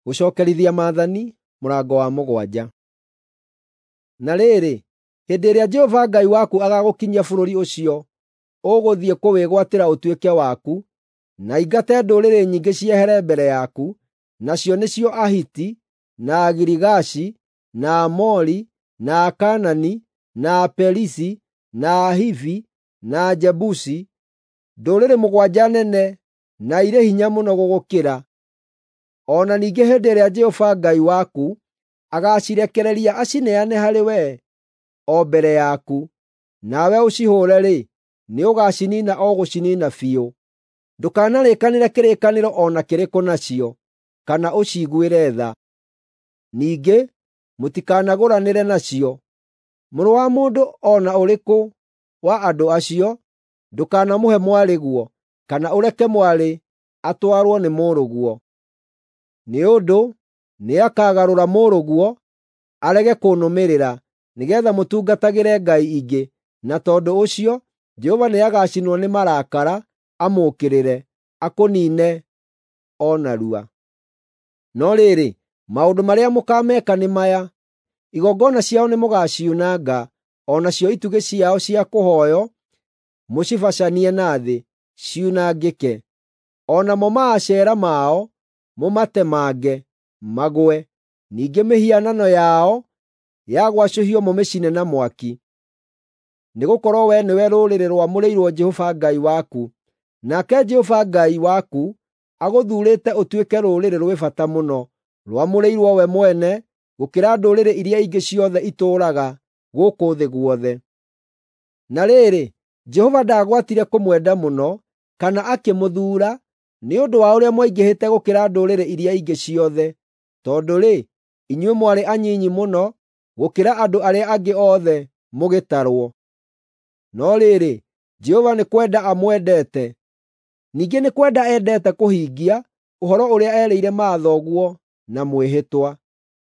Gũcookerithia Maathani mũrango wa 7. Na rĩrĩ, hĩndĩ ĩrĩa Jehova Ngai waku agaagũkinyia bũrũri ũcio ũgũthiĩ kũwĩgwatĩra ũtuĩke waku, na aingate ndũrĩrĩ nyingĩ ciehere mbere yaku, nacio nĩcio Ahiti, na Agirigashi, na Aamori, na Akaanani, na Aperizi, na Ahivi, na Ajebusi, ndũrĩrĩ 7 nene na irĩ hinya mũno gũgũkĩra. O na ningĩ hĩndĩ ĩrĩa Jehova Ngai waku agaacirekereria acineane harĩ wee o mbere yaku, nawe ũcihũũre-rĩ, nĩũgaciniina o gũciniina biũ. Ndũkanarĩkanĩre kĩrĩkanĩro o na kĩrĩkũ nacio, kana ũciiguĩre tha. Ningĩ mũtikanagũranĩre nacio. Mũrũ wa mũndũ o na ũrĩkũ wa andũ acio, ndũkanamũhe mwarĩguo, kana ũreke mwarĩ atwarwo nĩ mũrũguo. Nĩ ũndũ nĩakagarũra mũrũguo arege kũnũmĩrĩra, nĩgeetha mũtungatagĩre ngai ingĩ, na tondũ ũcio Jehova nĩagacinwo nĩ marakara amũũkĩrĩre, akũniine o narua. No rĩrĩ, maũndũ marĩa mũkaameka nĩ maya: Igongona ciao nĩmũgaciunanga, o nacio itugĩ ciao cia kũhooywo mũcibacanie na thĩ, ciunangĩke. O namo maacera mao mũmatemange, magũe. Ningĩ mĩhianano yao ya gwacũhio mũmĩcine na mwaki. Nĩgũkorwo wee nĩwe rũrĩrĩ rwamũrĩirwo Jehova Ngai waku, nake Jehova Ngai waku agũthuurĩte ũtuĩke rũrĩrĩ rwĩ bata mũno, rwamũrĩirwo we mwene gũkĩra ndũrĩrĩ iria ingĩ ciothe itũũraga gũkũ thĩ guothe. Na rĩrĩ, Jehova ndaagwatire kũmwenda mũno, kana akĩmũthuura, nĩ ũndũ wa ũrĩa mwaingĩhĩte gũkĩra ndũrĩrĩ iria ingĩ ciothe, tondũ-rĩ, inyuĩ mwarĩ anyinyi mũno gũkĩra andũ arĩa angĩ othe mũgĩtarwo. No rĩrĩ, Jehova nĩ kwenda amwendete. Ningĩ nĩ kwenda endete kũhingia ũhoro ũrĩa erĩire mathoguo na mwĩhĩtwa.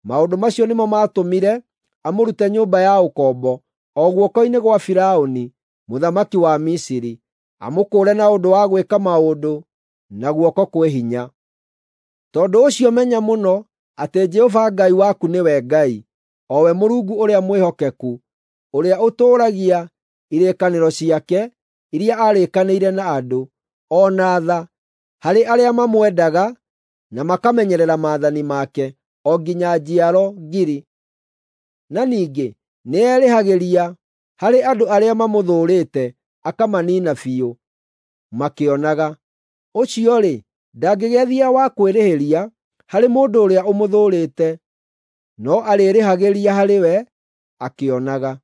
Maũndũ macio nĩmo maatũmire amũrute nyũmba ya ũkombo, o guoko-inĩ gwa Firaũni mũthamaki wa Misiri, amũkũũre na ũndũ wa gwĩka maũndũ na guoko kwĩ hinya. Tondũ ũcio menya mũno atĩ Jehova Ngai waku nĩwe Ngai, o we Mũrungu ũrĩa mwĩhokeku, ũrĩa ũtũũragia irĩkanĩro ciake iria aarĩkanĩire na andũ, o na tha harĩ arĩa mamwendaga na makamenyerera maathani make, o nginya njiaro 1,000. Na ningĩ nĩerĩhagĩria harĩ andũ arĩa mamũthũũrĩte akamaniina biũ makĩonaga. Ũcio-rĩ, ndangĩgĩethia wa kwĩrĩhĩria harĩ mũndũ ũrĩa ũmũthũũrĩte, no arĩĩrĩhagĩria harĩ we akĩonaga.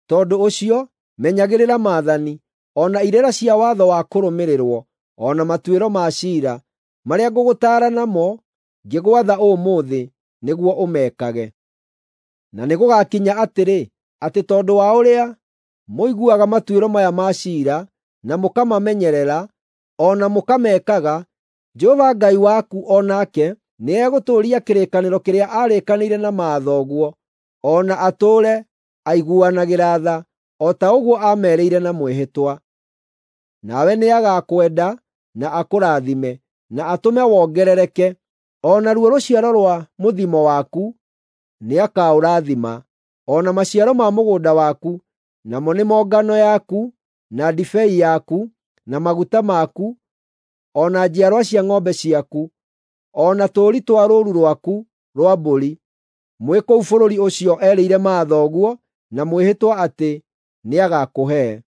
Tondũ ũcio menyagĩrĩra maathani, o na irĩra cia watho wa kũrũmĩrĩrwo, o na matuĩro ma ciira, marĩa ngũgũtaara namo ngĩgwatha ũmũthĩ nĩguo ũmekage. Na nĩgũgakinya atĩrĩ, atĩ tondũ wa ũrĩa mũiguaga matuĩro maya ma ciira, na mũkamamenyerera, o na mũkamekaga, Jehova Ngai waku o nake nĩegũtũũria kĩrĩkanĩro kĩrĩa aarĩkanĩire na mathoguo, o na atũũre aiguanagĩra tha, o ta ũguo aamerĩire na mwĩhĩtwa. Nawe nĩagakwenda na akũrathime, na atũme wongerereke, o naruo rũciaro rwa mũthimo waku nĩakaũrathima, o na maciaro ma mũgũnda waku, namo nĩmo ngano yaku, na ndibei yaku, na maguta maku, o na njiarwa cia ng'ombe ciaku, o na tũũri twa rũũru rwaku rwa mbũri, mwĩ kũu bũrũri ũcio erĩire mathoguo na mwĩhĩtwa atĩ nĩagakũhe.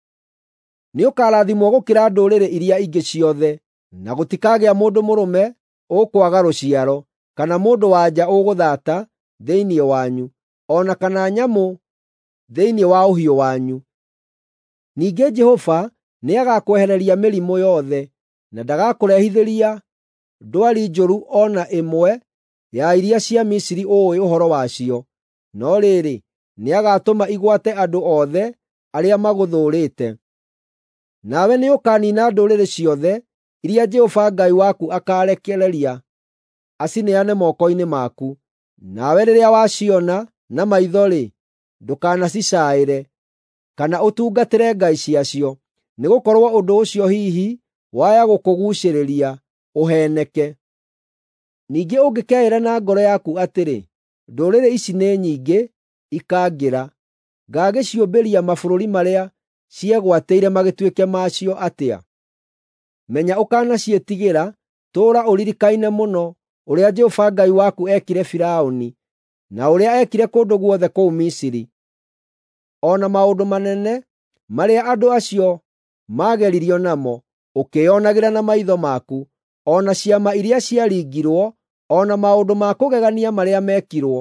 Nĩũkarathimwo gũkĩra ndũrĩrĩ iria ingĩ ciothe, na gũtikagĩa mũndũ mũrũme ũkwaga rũciaro, kana mũndũ-wa-nja ũgũthaata thĩinĩ wanyu, o na kana nyamũ thĩinĩ wa ũhiũ wanyu. Ningĩ Jehova nĩagakwehereria mĩrimũ yothe, na ndagakũrehithĩria ndwari njũru o na ĩmwe ya iria cia Misiri ũũĩ ũhoro wacio. No rĩrĩ, nĩagatũma igwate andũ othe arĩa magũthũũrĩte. Nawe nĩũkaniina ndũrĩrĩ ciothe iria Jehova Ngai waku akaarekereria acineane moko-inĩ maku. Nawe rĩrĩa waciona na maitho-rĩ, ndũkanacicaĩre, kana ũtungatĩre ngai ciacio, nĩgũkorwo ũndũ ũcio hihi waya gũkũguucĩrĩria ũheeneke. Ningĩ ũngĩkeĩra na ngoro yaku atĩrĩ, “Ndũrĩrĩ ici nĩ nyingĩ ikangĩra, ngagĩciũmbĩria mabũrũri marĩa ciegwatĩire magĩtuĩke maacio atĩa?” Menya ũkanaciĩtigĩra, tũũra ũririkaine mũno ũrĩa Jehova Ngai waku eekire Firaũni, na ũrĩa eekire kũndũ guothe kũu Misiri, o na maũndũ manene marĩa andũ acio maageririo namo, ũkĩĩonagĩra na maitho maku, o na ciama iria ciaringirwo, o na maũndũ ma kũgegania marĩa mekirwo.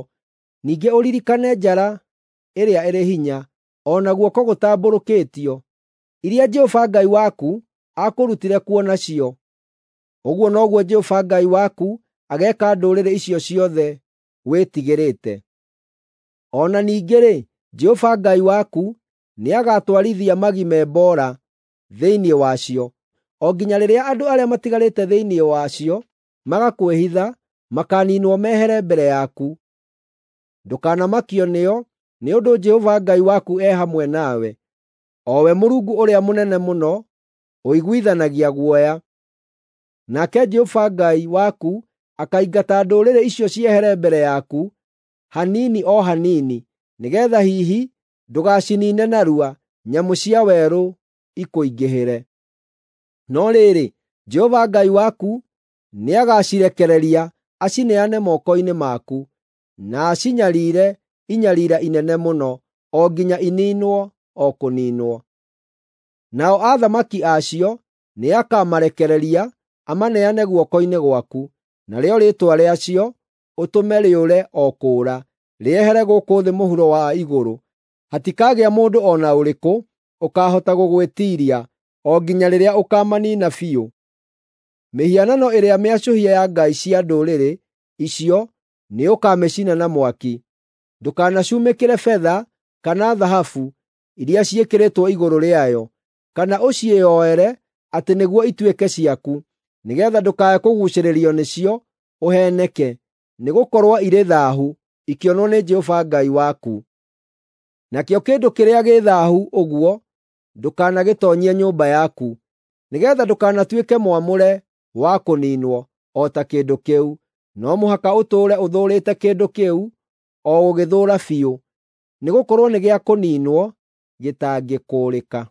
Ningĩ ũririkane njara ĩrĩa ĩrĩ hinya, o na guoko gũtambũrũkĩtio, iria Jehova Ngai waku aakũrutire kuo nacio. Ũguo noguo Jehova Ngai waku ageeka ndũrĩrĩ icio ciothe wĩtigĩrĩte. O na ningĩ-rĩ, Jehova Ngai waku nĩagatwarithia magi me mboora thĩinĩ wacio, o nginya rĩrĩa andũ arĩa matigarĩte thĩinĩ wacio magakwĩhitha makaaniinwo mehere mbere yaku. Ndũkanamakio nĩo, nĩ ũndũ Jehova Ngai waku e hamwe nawe, o we Mũrungu ũrĩa mũnene mũno, ũiguithanagia guoya. Nake Jehova Ngai waku akaingata ndũrĩrĩ icio ciehere mbere yaku, hanini o hanini, nĩgeetha hihi ndũgaciniine narua, nyamũ cia werũ ikũingĩhĩre. No rĩrĩ, Jehova Ngai waku nĩagacirekereria acineane moko-inĩ maku, na acinyariire inyariira inene mũno, o nginya iniinwo o kũniinwo. Nao athamaki acio nĩakamarekereria amaneane guoko-inĩ gwaku, narĩo rĩĩtwa rĩacio ũtũme rĩũre o kũũra, rĩehere gũkũ thĩ mũhuro wa igũrũ. Hatikagĩa mũndũ o na ũrĩkũ ũkaahota gũgwĩtiiria, o nginya rĩrĩa ũkaamaniina biũ. Mĩhianano ĩrĩa mĩacũhie ya ngai cia ndũrĩrĩ icio nĩũkamĩcina na mwaki. Ndũkanacumĩkĩre betha kana thahabu iria ciĩkĩrĩtwo igũrũ rĩayo, kana ũciĩyoere atĩ nĩguo ituĩke ciaku, nĩgeetha ndũkae kũguucĩrĩrio nĩcio ũheeneke, nĩgũkorwo irĩ thaahu ikĩonwo nĩ Jehova Ngai waku. Nakĩo kĩndũ kĩrĩa gĩ thaahu ũguo ndũkanagĩtoonyie nyũmba yaku, nĩgeetha ndũkanatuĩke mwamũre wa kũniinwo o ta kĩndũ kĩu. No mũhaka ũtũũre ũthũũrĩte kĩndũ kĩu o gũgĩthũũra biũ, nĩgũkorwo nĩ gĩa kũniinwo, gĩtangĩkũũrĩka.